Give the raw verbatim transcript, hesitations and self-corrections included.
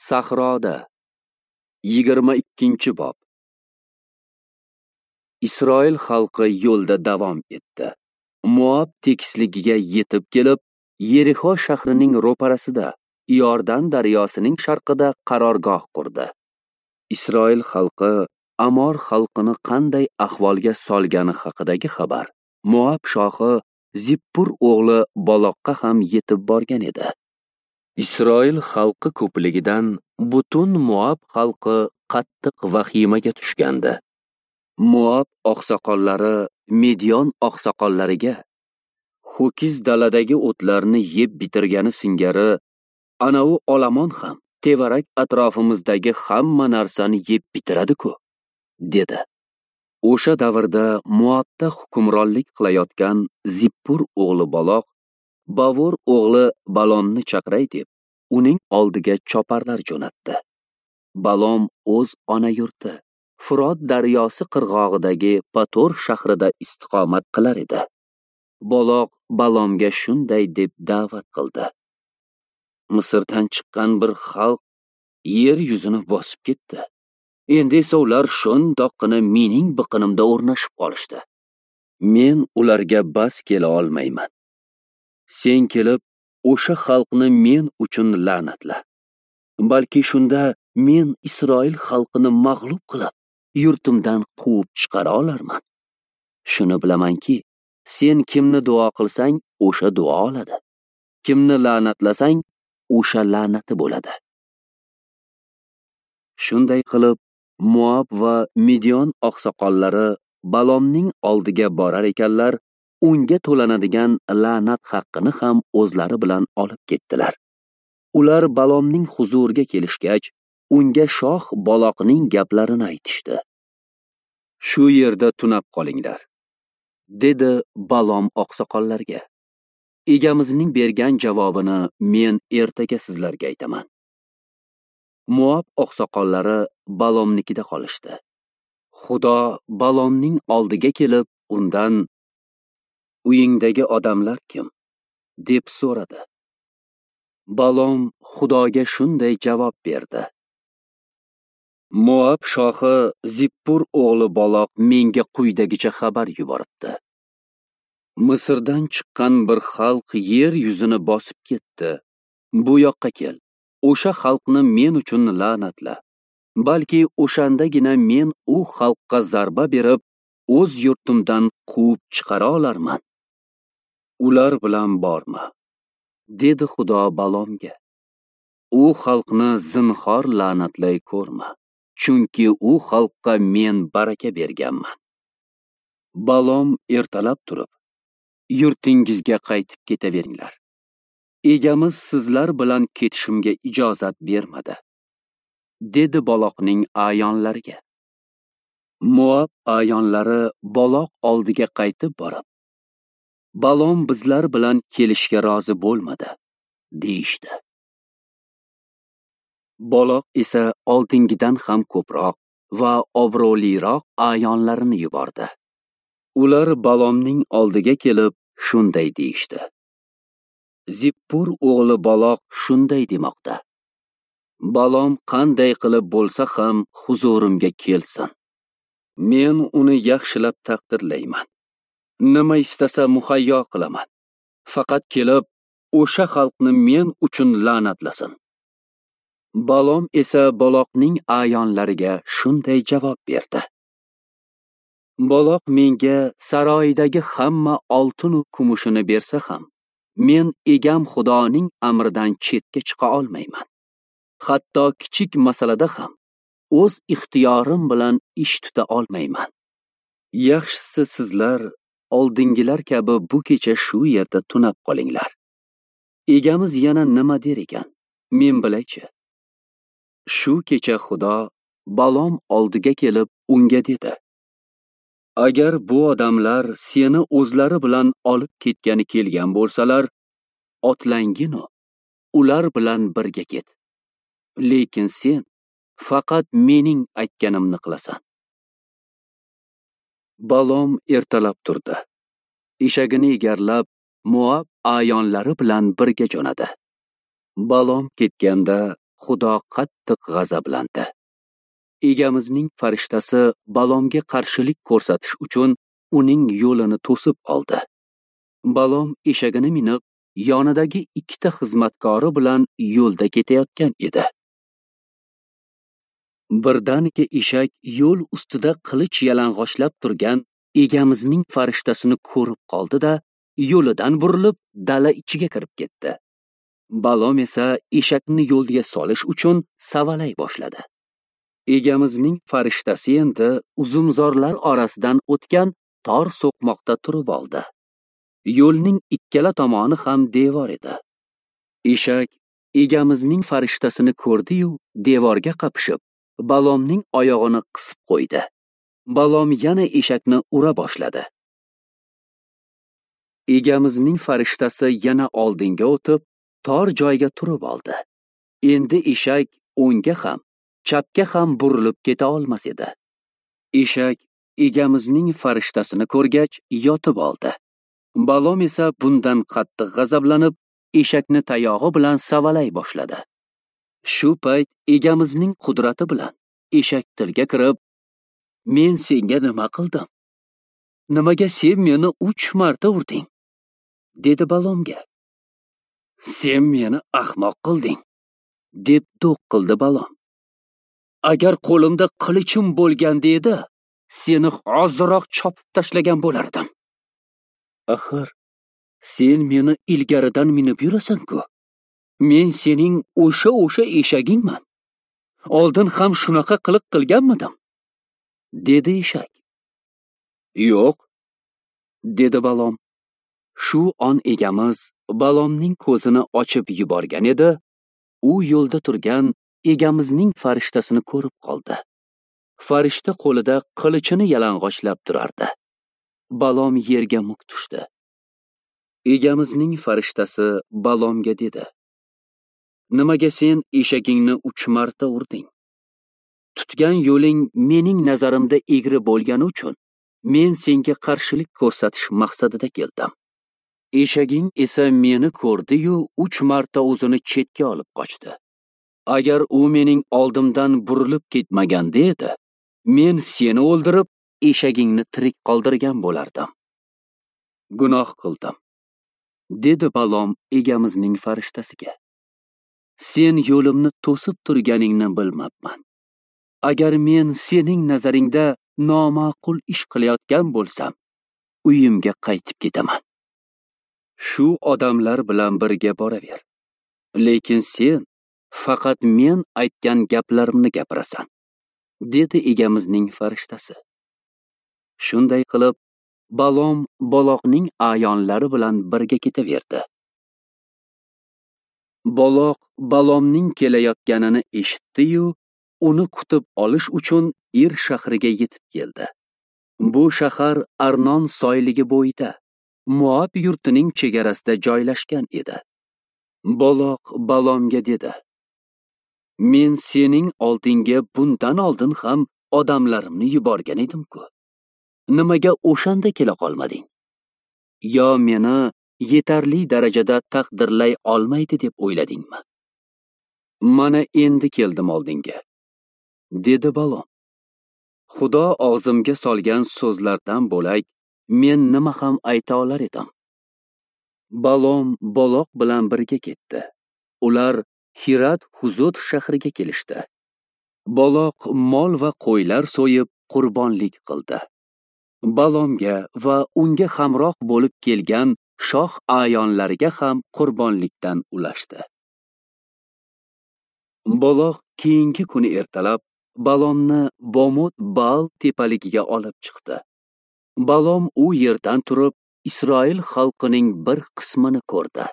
Sahroda yigirma ikkinchi bob. Isroil xalqi yo'lda davom etdi. Moab tekisligiga yetib kelib, Yerixo shahrining ro'parasida, Iordan daryosining sharqida qarorgoh qurdi. Isroil xalqi Amor xalqini qanday ahvolga solgani haqidagi xabar Moab shohi Zippur o'g'li Baloqqa ham yetib borgan edi. Isroil xalqi ko'pligidan butun Moab xalqi qattiq vahimaga tushgandi. Moab oqsoqollari Midyon oqsoqollariga ho'kiz daladagi o'tlarni yeb bitirgani singari anavi olomon ham tevarak atrofimizdagi hamma narsani yeb bitiradi-ku, dedi. O'sha davrda Moabda hukmronlik qilayotgan Zippur o'g'li Baloq Bavor o'g'li Balomni chaqiray deb uning oldiga choparlar jo'natdi. Balom o'z ona yurti Furot daryosi qirg'og'idagi Pator shahrida istiqomat qilar edi. Baloq Balomga shunday deb da'vat qildi: Misrdan chiqqan bir xalq yer yuzini bosib ketdi. Endi esa ular shundoqqina mening biqinimda o'rnashib qolishdi. Men ularga bas kela olmayman. Sen kelib o'sha xalqni men uchun la'natla. Balki shunda men Isroil xalqini mag'lub qilib, yurtimdan quvib chiqara olarman. Shuni bilamanki, sen kimni duo qilsang, o'sha duo oladi. Kimni la'natlasang, o'sha la'nati bo'ladi. Shunday qilib, Moab va Midyon oqsoqollari Balomning oldiga borar ekanlar, unga to'lanadigan la'nat haqqini ham o'zlari bilan olib ketdilar. Ular Balomning huzuriga kelishgach, unga shoh Baloqning gaplarini aytishdi. Shu yerda tunab qolinglar, dedi Balom oqsoqollarga. Egamizning bergan javobini men ertaga sizlarga aytaman. Moab oqsoqollari Balomnikida qolishdi. Xudo Balomning oldiga kelib, undan: "Uyingdagi odamlar kim?" deb so'radi. Balom Xudoga shunday javob berdi: Moab shohi Zippur o'g'li Baloq menga quyidagicha xabar yuboribdi. Misrdan chiqqan bir xalq yer yuzini bosib ketdi. Bu yoqqa kel, o'sha xalqni men uchun la'natla. Balki o'shandagina men u xalqqa zarba berib, o'z yurtimdan quvib chiqara olarman. Ular bilan borma, dedi Xudo Balomga. U xalqni zinhor la'natlay ko'rma, chunki u xalqqa men baraka berganman. Balom ertalab turib, yurtingizga qaytib ketaveringlar. Egamiz sizlar bilan ketishimga ijozat bermadi, dedi Baloqning a'yonlariga. Moab a'yonlari Baloq oldiga qaytib borib, Balom bizlar bilan kelishga rozi bo'lmadi, deyishdi. Baloq esa oldingidan ham ko'proq va obro'liroq a'yonlarini yubordi. Ular Balomning oldiga kelib shunday deyishdi: Zippur o'g'li Baloq shunday demoqda: Balom qanday qilib bo'lsa ham huzurimga kelsin. Men uni yaxshilab taqdirlayman. Nima istasa muhayyo qilaman. Faqat kelib o'sha xalqni men uchun la'natlasin. Balom esa Baloqning a'yonlariga shunday javob berdi: Baloq menga saroyidagi hamma oltin va kumushini bersa ham, men egam Xudoning amridan chetga chiqa olmayman. Hatto kichik masalada ham o'z ixtiyorim bilan ish tuta olmayman. Yaxshisi sizlar oldingilar kabi bu kecha shu yerda tunab qolinglar. Egamiz yana nima der ekan, men bilaychi. Shu kecha Xudo Balom oldiga kelib unga dedi: Agar bu odamlar seni o'zlari bilan olib ketgani kelgan bo'lsalar, otlangin-u, ular bilan birga ket. Lekin sen faqat mening aytganimni qilasan. Balom ertalab turdi. Eshagini egarlab, Moab a'yonlari bilan birga jo'nadi. Balom ketganda Xudo qattiq g'azablandi. Egamizning farishtasi Balomga qarshilik ko'rsatish uchun uning yo'lini to'sib oldi. Balom eshagini minib, yonidagi ikkita xizmatkori bilan yo'lda ketayotgan edi. Birdaniga eshak yo'l ustida qilich yalang'ochlab turgan egamizning farishtasini ko'rib qoldi-da, yo'lidan burilib dala ichiga kirib ketdi. Balom esa eshakni yo'lga solish uchun savalay boshladi. Egamizning farishtasi endi uzumzorlar orasidan o'tgan tor so'qmoqda turib oldi. Yo'lning ikkala tomoni ham devor edi. Eshak egamizning farishtasini ko'rdi-yu, devorga qapishib, Balomning oyog'ini qisib qo'ydi. Balom yana eshakni ura boshladi. Egamizning farishtasi yana oldinga o'tib, tor joyga turib oldi. Endi eshak o'ngga ham, chapga ham burilib keta olmas edi. Eshak egamizning farishtasini ko'rgach, yotib oldi. Balom esa bundan qattiq g'azablanib, eshakni tayog'i bilan savalay boshladi. Shu payt egamizning qudrati bilan eshak tilga kirib, "Men senga nima qildim? Nimaga sen meni uch marta urding?" dedi Balomga. "Sen meni ahmoq qilding", deb do'q qildi Balom. "Agar qo'limda qilichim bo'lganda edi, seni hoziroq chopib tashlagan bo'lardim. Axir, sen meni ilgaridan minib yurasan-ku. Men sening o'sha o'sha eshagingman. Oldin ham shunaqa qiliq qilganmidim?" dedi eshak. "Yo'q", dedi Balom. Shu on egamiz Balomning ko'zini ochib yuborgan edi, u yo'lda turgan egamizning farishtasini ko'rib qoldi. Farishta qo'lida qilichini yalang'ochlab turardi. Balom yerga muk tushdi. Egamizning farishtasi Balomga dedi: "Nimaga sen eshagingni uch marta urding? Tutgan yo'ling mening nazarimda egri bo'lgani uchun men senga qarshilik ko'rsatish maqsadida keldim. Eshaging esa meni ko'rdi-yu, uch marta o'zini chetga olib qochdi. Agar u mening oldimdan burilib ketmaganda edi, men seni o'ldirib, eshagingni tirik qoldirgan bo'lardim. Gunoh qildim", dedi Balom egamizning farishtasiga. "Sen yo'limni to'sib turganingni bilmabman. Agar men sening nazaringda noma'qul ish qilayotgan bo'lsam, uyimga qaytib ketaman. Shu odamlar bilan birga boraver. Lekin sen faqat men aytgan gaplarimni gapirasan", dedi egamizning farishtasi. Shunday qilib, Balom Baloqning a'yonlari bilan birga ketaverdi. Baloq Balomning kelayotganini eshitdi-yu, uni kutib olish uchun Ir shahriga yetib keldi. Bu shahar Arnon soyligi bo'yida, Moab yurtining chegarasida joylashgan edi. Baloq Balomga dedi: "Men sening oldinga bundan oldin ham odamlarimni yuborgan edim-ku. Nimaga o'shanda kela qolmading? Yo meni yetarli darajada taqdirlay olmaydi deb o'yladingmi? Mana endi keldim oldinga", dedi Balom. "Xudo og'zimga solgan so'zlardan bo'lak men nima ham ayta olar edim?" Balom Baloq bilan birga ketdi. Ular Hirat Huzut shahriga kelishdi. Baloq mol va qo'ylar so'yib qurbonlik qildi. Balomga va unga hamroh bo'lib kelgan shoh a'yonlariga ham qurbonlikdan ulashdi. Baloq keyingi kuni ertalab Balomni Bomot Baal tepaligiga olib chiqdi. Balom u yerdan turib Isroil xalqining bir qismini ko'rdi.